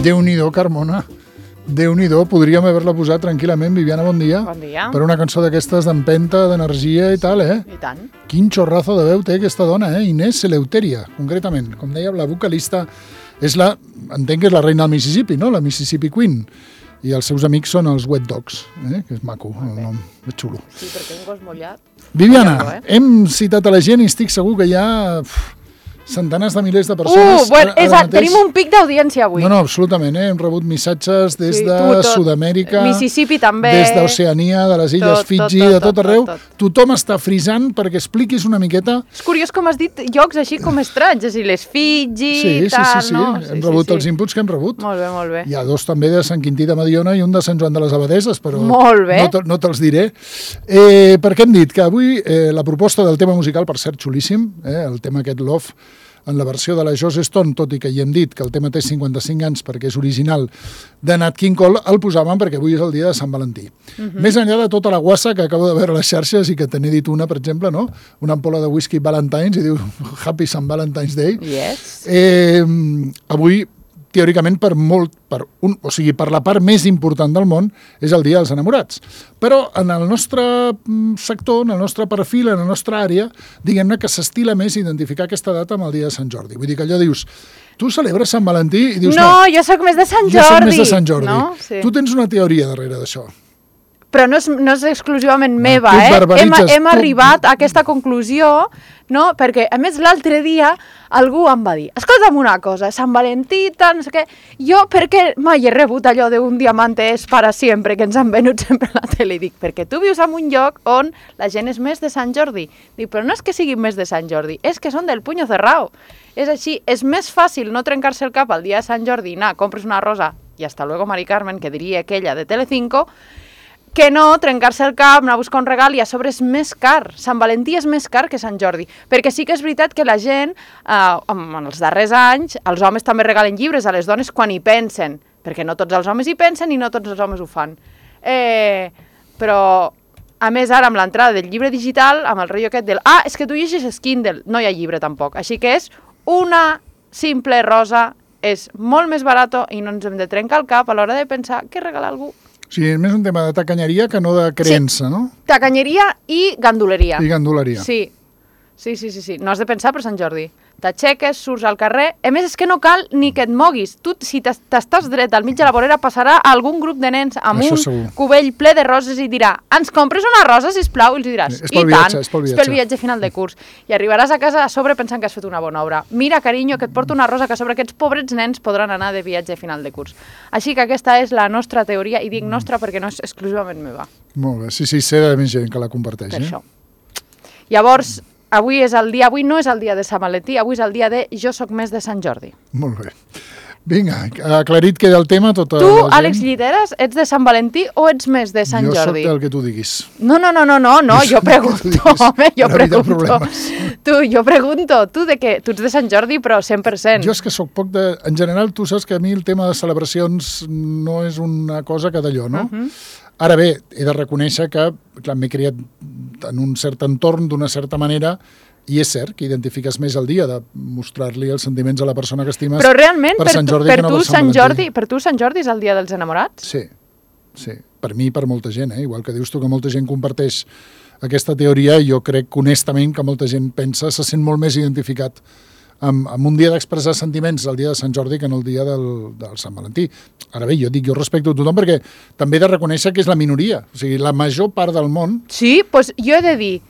Déu-n'hi-do, Carmona. Déu-n'hi-do, podríem haver-la posat tranquil·lament, Viviana, bon dia. Bon dia. Per una cançó d'aquestes d'empenta, d'energia i tal, I tant. Quin xorrazo de veu té aquesta dona, Inés Eleuteria, concretament. Com deia, la vocalista entenc que és la reina del Mississippi, no? La Mississippi Queen. I els seus amics són els Wet Dogs, que és maco, el nom, és xulo. Sí, perquè un gos mullat... Viviana, hem citat a la gent i estic segur que hi ha centenars de milers de persones. Tenim un pic d'audiència avui. No, absolutament, hem rebut missatges des de Sud-amèrica, Mississippi també, des d'Oceania, de les illes Fiji, de tot arreu. Tothom està frisant perquè expliquis una miqueta. És curiós com has dit llocs així com estranys, és a dir, les Fiji, tal, sí. Hem rebut els inputs que hem rebut. Molt bé. Hi ha dos també de Sant Quintí de Mediona i un de Sant Joan de les Abadeses, però no te'ls diré. Perquè hem dit que avui la proposta del tema musical, per cert, xulíssim, el tema aquest Love, en la versió de la Joss Stone, tot i que hi hem dit que el tema té 55 anys perquè és original de Nat King Cole, el posàvem perquè avui és el dia de Sant Valentí. Més enllà de tota la guassa que acabo de veure a les xarxes i que te n'he dit una, per exemple, no? Una ampola de whisky Valentine's i diu Happy St. Valentine's Day. Yes. Avui, teòricament, per la part més important del món, és el Dia dels Enamorats. Però en el nostre sector, en el nostre perfil, en la nostra àrea, diguem-ne que s'estila més identificar aquesta data amb el Dia de Sant Jordi. Vull dir que allò dius, tu celebres Sant Valentí i dius... No, jo soc més de Sant Jordi. Jo soc més de Sant Jordi. No? Sí. Tu tens una teoria darrere d'això. Però no és exclusivament meva, Hem arribat a aquesta conclusió, no? Perquè, a més, l'altre dia algú em va dir, escolta'm una cosa, Sant Valentí, no sé què, jo perquè mai he rebut allò d'un diamante és para sempre, que ens han venut sempre a la tele, i dic, perquè tu vius en un lloc on la gent és més de Sant Jordi. Dic, però no és que siguin més de Sant Jordi, és que són del puño cerrado. És així, és més fàcil no trencar-se el cap el dia de Sant Jordi, anar, compres una rosa i hasta luego, Mari Carmen, que diria aquella de Telecinco, que no trencar-se el cap, anar a buscar un regal i a sobre és més car. Sant Valentí és més car que Sant Jordi. Perquè sí que és veritat que la gent, en els darrers anys, els homes també regalen llibres a les dones quan hi pensen, perquè no tots els homes hi pensen i no tots els homes ho fan. Però, a més, ara amb l'entrada del llibre digital, amb el rotllo aquest del és que tu llegeixes Kindle, no hi ha llibre tampoc. Així que és una simple rosa, és molt més barato i no ens hem de trencar el cap a l'hora de pensar què regalar a algú. O sigui, és més un tema de tacanyeria que no de creença, no? Tacanyeria i ganduleria. I ganduleria. Sí. No has de pensar per Sant Jordi. T'aixeques, surts al carrer... A més, és que no cal ni que et moguis. Tu, si t'estàs dret al mig de la vorera, passarà algun grup de nens amb cubell ple de roses i dirà ens compres una rosa, sisplau? I els diràs, és pel viatge final de curs. I arribaràs a casa a sobre pensant que has fet una bona obra. Mira, carinyo, que et porto una rosa que a sobre aquests pobrets nens podran anar de viatge final de curs. Així que aquesta és la nostra teoria, i dic nostra perquè no és exclusivament meva. Molt bé, sí, sé de més gent que la comparteix. Per això. Llavors... Avui no és el dia de Sant Valentí, avui és el dia de jo soc més de Sant Jordi. Molt bé. Vinga, aclarit queda el tema tota tu, la gent. Àlex Lliteres, ets de Sant Valentí o ets més de Sant Jordi? Jo soc del que tu diguis. No, jo pregunto, home, jo pregunto. Tu ets de Sant Jordi, però 100%. Jo és que soc poc de... En general, tu saps que a mi el tema de celebracions no és una cosa que d'allò, no? Ara bé, he de reconèixer que m'he criat en un cert entorn, d'una certa manera, i és cert que identifiques més el dia de mostrar-li els sentiments a la persona que estimes. Però realment, per Sant Jordi, per tu Sant Jordi és el dia dels enamorats? Sí. Per mi i per molta gent, igual que dius tu que molta gent comparteix aquesta teoria, jo crec honestament que molta gent pensa, se sent molt més identificat amb un dia d'expressar sentiments el dia de Sant Jordi que en el dia del Sant Valentí. Ara bé, jo respecto a tothom perquè també he de reconèixer que és la minoria. O sigui, la major part del món... Sí, doncs jo he de dir,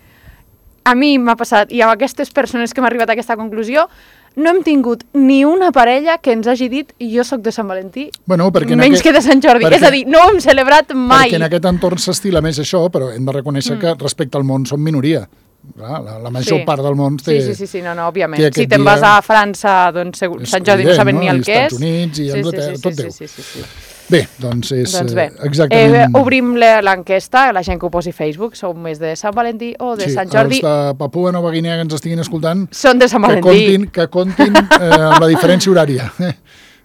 a mi m'ha passat, i amb aquestes persones que m'ha arribat a aquesta conclusió, no hem tingut ni una parella que ens hagi dit jo sóc de Sant Valentí, menys que de Sant Jordi. És a dir, no ho hem celebrat mai. Perquè en aquest entorn s'estila més això, però hem de reconèixer que respecte al món som minoria. La major part del món té... Sí, no, òbviament. Si te'n vas a França, doncs Sant Jordi no saben ni el que és. Als Estats Units i Anglaterra, tot Déu. Bé, doncs és exactament... Obrim l'enquesta, la gent que ho posi a Facebook, sou més de Sant Valentí o de Sant Jordi? Els de Papua Nova Guinea que ens estiguin escoltant... Són de Sant Valentí. Que comptin amb la diferència horària.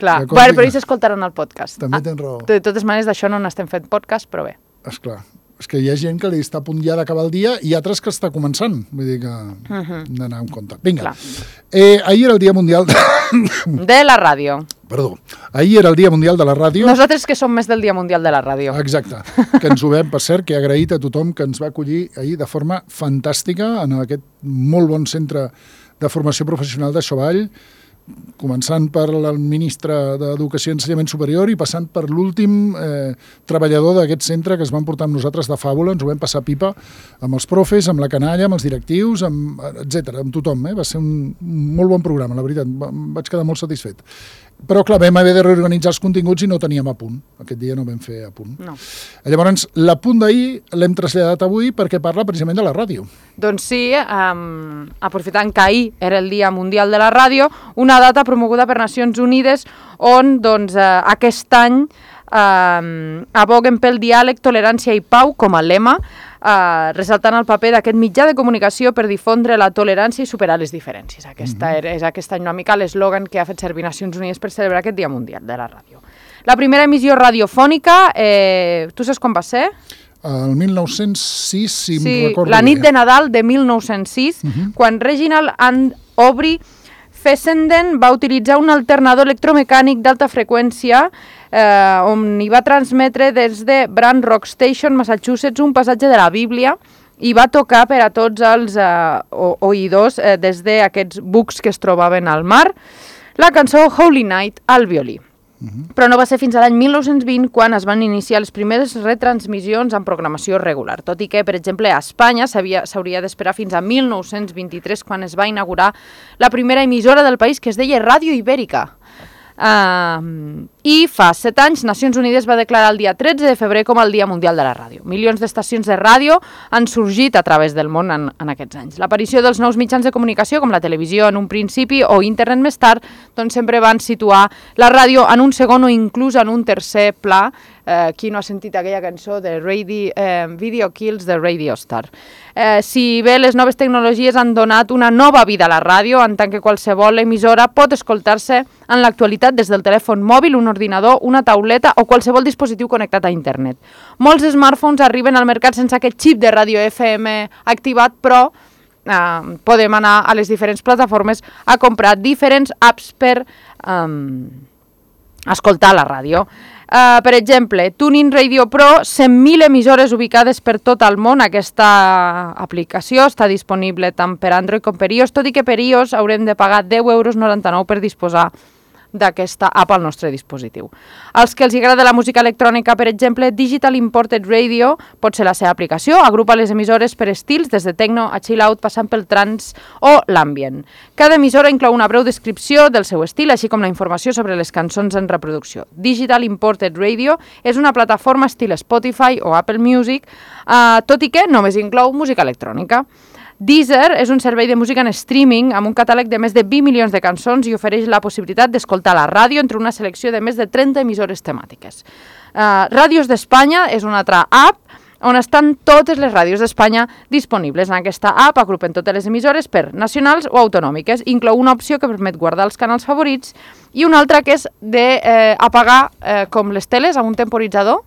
Clar, però ells escoltaran el podcast. També tens raó. De totes maneres, d'això no n'estem fent podcast, però bé. Esclar. És que hi ha gent que li està a punt ja d'acabar el dia i altres que està començant. Vull dir que hem d'anar amb compte. Vinga. Ahir era el Dia Mundial de la Ràdio. Perdó. Ahir era el Dia Mundial de la Ràdio. Nosaltres que som més del Dia Mundial de la Ràdio. Exacte. Que ens ho vam, per cert, que he agraït a tothom que ens va acollir ahir de forma fantàstica en aquest molt bon centre de formació professional de Xovall, començant per el ministre d'Educació i Ensenyament Superior i passant per l'últim treballador d'aquest centre que es van portar amb nosaltres de fàbula, ens ho vam passar pipa amb els profes, amb la canalla, amb els directius, etc, amb tothom. Va ser un molt bon programa, la veritat, vaig quedar molt satisfet. Però, clar, vam haver de reorganitzar els continguts i no teníem a punt. Aquest dia no vam fer a punt. No. Llavors, l'apunt d'ahir l'hem traslladat avui perquè parla precisament de la ràdio. Doncs sí, aprofitant que ahir era el Dia Mundial de la Ràdio, una data promoguda per Nacions Unides on doncs, aquest any aboguen pel diàleg, tolerància i pau com a lema, ressaltant el paper d'aquest mitjà de comunicació per difondre la tolerància i superar les diferències. És aquest any una mica l'eslògan que ha fet servir Nacions Unides per celebrar aquest Dia Mundial de la Ràdio. La primera emissió radiofònica, tu saps quan va ser? El 1906, si em recordo bé. La nit de Nadal de 1906, quan Reginald and Aubrey Fessenden va utilitzar un alternador electromecànic d'alta freqüència on hi va transmetre des de Brand Rock Station, Massachusetts, un passatge de la Bíblia i va tocar per a tots els oïdors des d'aquests bucs que es trobaven al mar la cançó Holy Night al violí. Però no va ser fins a l'any 1920 quan es van iniciar les primeres retransmissions en programació regular, tot i que, per exemple, a Espanya s'hauria d'esperar fins a 1923 quan es va inaugurar la primera emissora del país que es deia Ràdio Ibèrica. I fa 7 anys Nacions Unides va declarar el dia 13 de febrer com el Dia Mundial de la Ràdio. Milions d'estacions de ràdio han sorgit a través del món en aquests anys. L'aparició dels nous mitjans de comunicació, com la televisió en un principi o internet més tard, doncs sempre van situar la ràdio en un segon o inclús en un tercer pla. Qui no ha sentit aquella cançó de Video Kills de Radio Star. Si bé les noves tecnologies han donat una nova vida a la ràdio, en tant que qualsevol emissora pot escoltar-se en l'actualitat des del telèfon mòbil, un ordinador, una tauleta o qualsevol dispositiu connectat a internet. Molts smartphones arriben al mercat sense aquest xip de ràdio FM activat, però podem anar a les diferents plataformes a comprar diferents apps per escoltar la ràdio. Per exemple, TuneIn Radio Pro, 100.000 emissores ubicades per tot el món. Aquesta aplicació està disponible tant per Android com per iOS, tot i que per iOS haurem de pagar 10,99 € per disposar d'aquesta app al nostre dispositiu. Als que els agrada la música electrònica, per exemple, Digital Imported Radio pot ser la seva aplicació, agrupa les emissores per estils, des de techno a chill out, passant pel trance o l'ambient. Cada emissora inclou una breu descripció del seu estil, així com la informació sobre les cançons en reproducció. Digital Imported Radio és una plataforma estil Spotify o Apple Music, tot i que només inclou música electrònica. Deezer és un servei de música en streaming amb un catàleg de més de 20 milions de cançons i ofereix la possibilitat d'escoltar la ràdio entre una selecció de més de 30 emissores temàtiques. Ràdios d'Espanya és una altra app on estan totes les ràdios d'Espanya disponibles. En aquesta app agrupen totes les emissores per nacionals o autonòmiques. Inclou una opció que permet guardar els canals favorits i una altra que és d'apagar com les teles amb un temporitzador,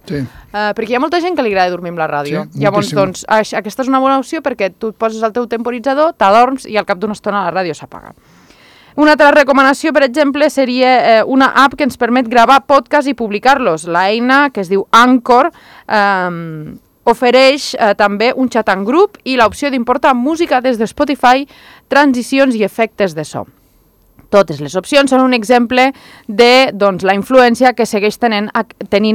perquè hi ha molta gent que li agrada dormir amb la ràdio. Llavors, doncs, aquesta és una bona opció perquè tu et poses el teu temporitzador, t'adorms i al cap d'una estona la ràdio s'apaga. Una altra recomanació, per exemple, seria una app que ens permet gravar podcasts i publicar-los. L'eina, que es diu Anchor, ofereix també un xat en grup i l'opció d'importar música des de Spotify, transicions i efectes de so. Totes les opcions són un exemple de la influència que segueix tenint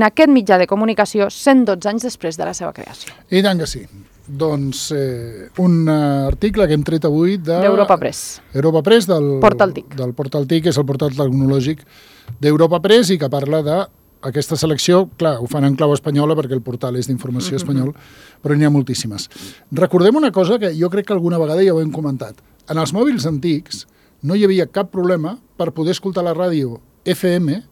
aquest mitjà de comunicació 112 anys després de la seva creació. I tant que sí. Doncs un article que hem tret avui d'Europa Press. Europa Press, del Portal TIC. Del Portal TIC, que és el portal tecnològic d'Europa Press i que parla d'aquesta selecció. Clar, ho fan en clau espanyola perquè el portal és d'informació espanyol, però n'hi ha moltíssimes. Recordem una cosa que jo crec que alguna vegada ja ho hem comentat. En els mòbils antics no hi havia cap problema per poder escoltar la ràdio FM.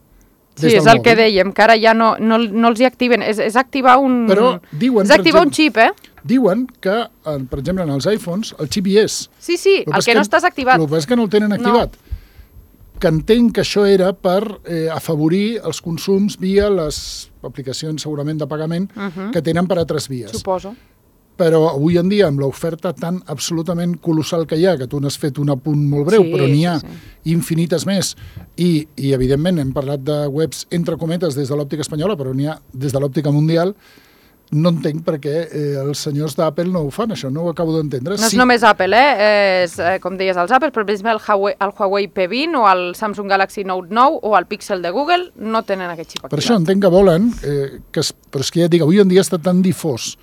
Sí, és el que dèiem, que ara ja no els hi activen. És activar un... Però diuen, és activar un xip, Diuen que, per exemple, en els iPhones, el xip hi és. Sí, el que no estàs activat. El que passa és que no el tenen activat. Que entenc que això era per afavorir els consums via les aplicacions segurament de pagament que tenen per altres vies. Suposo. però avui en dia, amb l'oferta tan absolutament colossal que hi ha, que tu n'has fet un apunt molt breu, però n'hi ha infinites més, i evidentment hem parlat de webs entre cometes des de l'òptica espanyola, però n'hi ha des de l'òptica mundial. No entenc per què els senyors d'Apple no ho fan, això, no ho acabo d'entendre. No és només Apple, és, com deies, els Apple, per exemple, el Huawei P20 o el Samsung Galaxy Note 9 o el Pixel de Google no tenen aquest xip activat. Per això entenc que volen, però és que ja et dic, avui en dia està tan difós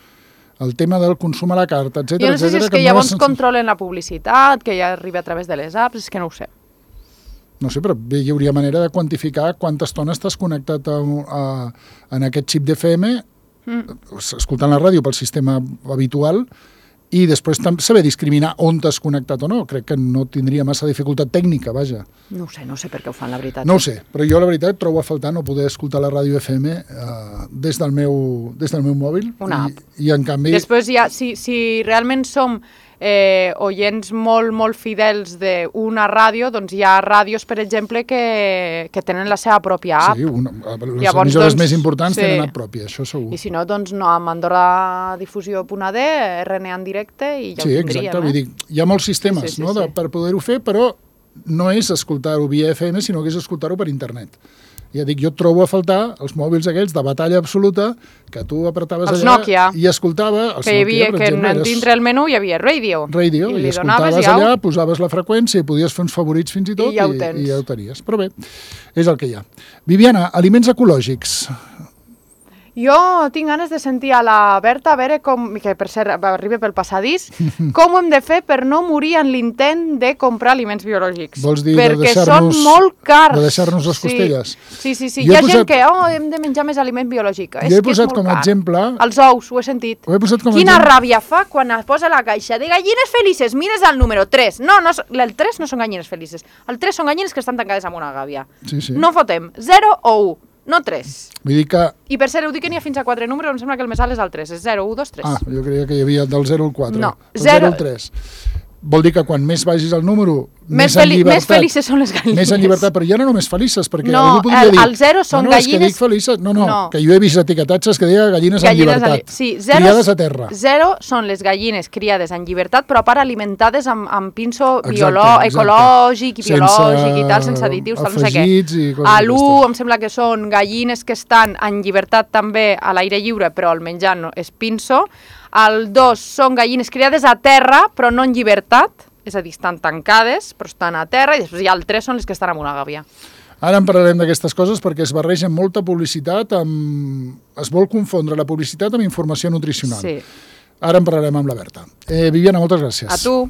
el tema del consum a la carta, etcètera. Jo no sé si és que llavors controlen la publicitat, que ja arriba a través de les apps, és que no ho sé. No sé, però hi hauria manera de quantificar quanta estona estàs connectat en aquest xip d'FM, escoltant la ràdio pel sistema habitual, i després saber discriminar on t'has connectat o no. Crec que no tindria massa dificultat tècnica, vaja. No sé per què ho fan, la veritat. No ho sé, però jo la veritat trobo a faltar no poder escoltar la ràdio FM des del meu mòbil. Una app. I en canvi... Després ja, si realment som oients molt fidels d'una ràdio, doncs hi ha ràdios, per exemple, que tenen la seva pròpia app. Sí, les emissores més importants tenen app pròpia, això segur. I si no, doncs no, amb AndorraDifusió.ad, RNA en directe i ja ho tindríem. Sí, exacte, vull dir, hi ha molts sistemes per poder-ho fer, però no és escoltar-ho via FM, sinó que és escoltar-ho per internet. Ja dic, jo trobo a faltar els mòbils aquells de batalla absoluta que tu apretaves allà Nokia. I escoltava... Que hi havia, que dintre el menú hi havia radio. I escoltaves allà, posaves la freqüència i podies fer uns favorits fins i tot i ja ho tenies. Però bé, és el que hi ha. Viviana, aliments ecològics. Jo tinc ganes de sentir a la Berta, a veure com, que per cert arriba pel passadís, com ho hem de fer per no morir en l'intent de comprar aliments biològics. Vols dir perquè són molt cars. De deixar-nos les costelles? Sí. Hi ha gent que hem de menjar més aliment biològic. Jo he posat com a exemple... Els ous, ho he sentit. Quina ràbia fa quan es posa la caixa de gallines felices, mires el número 3. No, el 3 no són gallines felices. El 3 són gallines que estan tancades amb una gàbia. No fotem 0 o 1. No 3. Vull dir que... I per cert, ho dic que n'hi ha fins a 4 números, em sembla que el més alt és el 3, és 0, 1, 2, 3. Ah, jo creia que hi havia del 0 al 4. No, el 0 al 3. Vol dir que quan més vagis al número, més en llibertat. Més felices són les gallines. Més en llibertat, però ja no només felices, perquè algú podria dir... No, el 0 són gallines... No, és que dic felices... No, que jo he vist etiquetatges que deia gallines en llibertat. Sí, criades a terra. 0 són les gallines criades en llibertat, però a part alimentades amb pinso ecològic i biològic i tal, sense additius, tal, no sé què. A l'1 em sembla que són gallines que estan en llibertat també a l'aire lliure, però el menjar és pinso. El 2 són gallines criades a terra, però no en llibertat, és a dir, estan tancades, però estan a terra, i després hi ha el 3 són les que estan en una gàbia. Ara en parlarem d'aquestes coses perquè es barregen molta publicitat, es vol confondre la publicitat amb informació nutricional. Sí. Ara en parlarem amb la Berta. Viviana, moltes gràcies. A tu.